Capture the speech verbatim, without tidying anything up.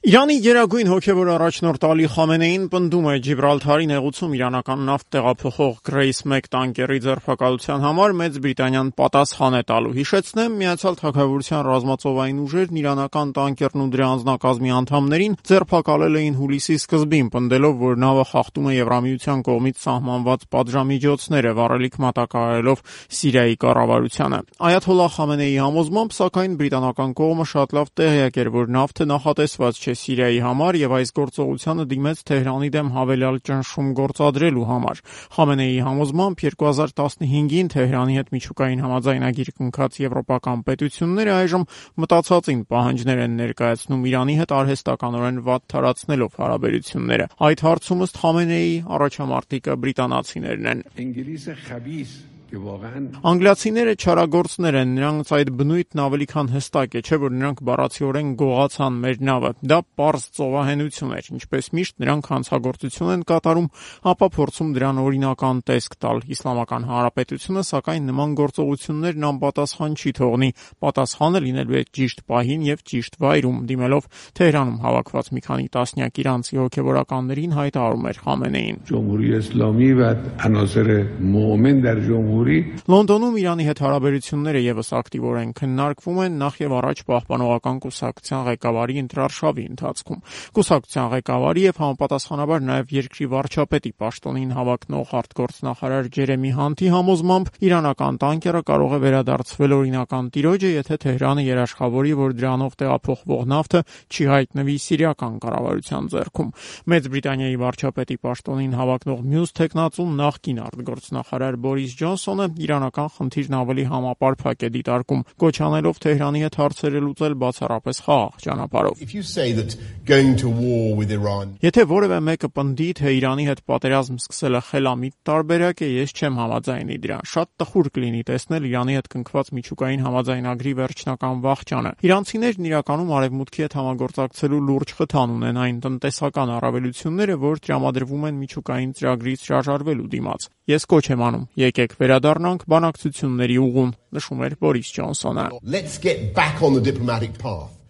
Իրանի գերագույն հոգևոր առաջնորդ Ալի Խամենեին պնդում է Ջիբրալթարի նեղուցում իրանական նավթ տեղափոխող Grace մեկ տանկերի ձերբակալության համար Մեծ Բրիտանիան պատասխան է տալու։ Հիշեցնեմ, Միացյալ Թագավորության ռազմածովային ուժերն իրանական տանկերն ու դրա անձնակազմի անդամներին ձերբակալել էին հուլիսի սկզբին, պնդելով, որ նավը խախտում է Եվրամիության կողմից սահմանված պատժամիջոցները, վառելիք մատակարարելով Սիրիայի կառավարությանը։ Այաթոլլահ Խամենեիի համոզմամբ, սակայն բրիտանական կողմը շատ լավ տեղյակ էր, որ նավթը նախատեսված չէ Սիրիայի համար եւ այս գործողությանը դիմեց Թեհրանի դեմ հավելյալ ճնշում գործադրելու համար։ Խամենեիի համոզմամբ երկու հազար տասնհինգին Թեհրանի հետ միջուկային համաձայնագիր կնքած եվրոպական պետությունները այժմ մտածածին պահանջներ են ներկայացնում Իրանի հետ արհեստականորեն վատ թարացնելով հարաբերությունները։ Այդ հարցում ըստ Խամենեիի առաջամարտիկը բրիտանացիներն են։ Անգլիացիները չարագործներ են, նրանց այդ բնույթն ավելի քան հստակ է, չէ՞ որ նրանք բառացիորեն գողացան մեր նավը։ Դա պարզ ծովահենություն էր, ինչպես միշտ նրանք հանցագործություն են կատարում, ապա փորձում դրան օրինական տեսք տալ։ Իսլամական Հանրապետությունը, սակայն, նման գործողություններն անպատասխան չի թողնի, պատասխանը լինելու է ճիշտ պահին եւ ճիշտ վայրում, դիմելով Թեհրանում հավաքված մի քանի տասնյակ իրանցի հոգևորականներին հայտարարում էր Խամենեին։ Լոնդոնում Իրանի հետ հարաբերությունները եւս ակտիվորեն քննարկվում են նախ եւ առաջ Պահպանողական կուսակցության ղեկավարի ընտրարշավի ընթացքում։ Կուսակցության ղեկավարի եւ համապատասխանաբար նաեւ երկրի վարչապետի պաշտոնին հավակնող արտգործնախարար Ջերեմի Հանթի համոզմամբ իրանական տանկերը կարող է վերադարձվել օրինական տիրոջը, եթե Թեհրանը երաշխավորի, որ դրանով տեղափոխվող նավթը չի հայտնվի սիրիական կառավարության ձեռքում։ Մեծ Բրիտանիայի վարչապետի պաշտոնին հավակնող մյուս տեխնացուն նախկին արտգործնախարար Բորիս Ջոնսոնը իրանական խնդիրն ավելի համապարփակ է դիտարկում, կոչ անելով Թեհրանի հետ հարցերը լուծել բացառապես խաղաղ ճանապարհով։ Եթե որևէ մեկը պնդի, թե Իրանի հետ պատերազմ սկսելը խելամիտ տարբերակ է, ես չեմ համաձայնի դրան։ Շատ տխուր կլինի տեսնել Իրանի հետ կնքված միջուկային համաձայնագրի վերջնական վախճանը։ Իրանցիներն իրականում արևմուտքի հետ համագործակցելու լուրջ խթան ունեն այն տնտեսական առավելությունները, որ տրամադրվում են միջուկային ծրագրից հրաժարվելու դիմաց։ Ես կոչ եմ անում, եկեք վերադառնանք բանակցությունների ուղուն, նշում էր Բորիս Ջոնսոնը։ Let's get back on the diplomatic path.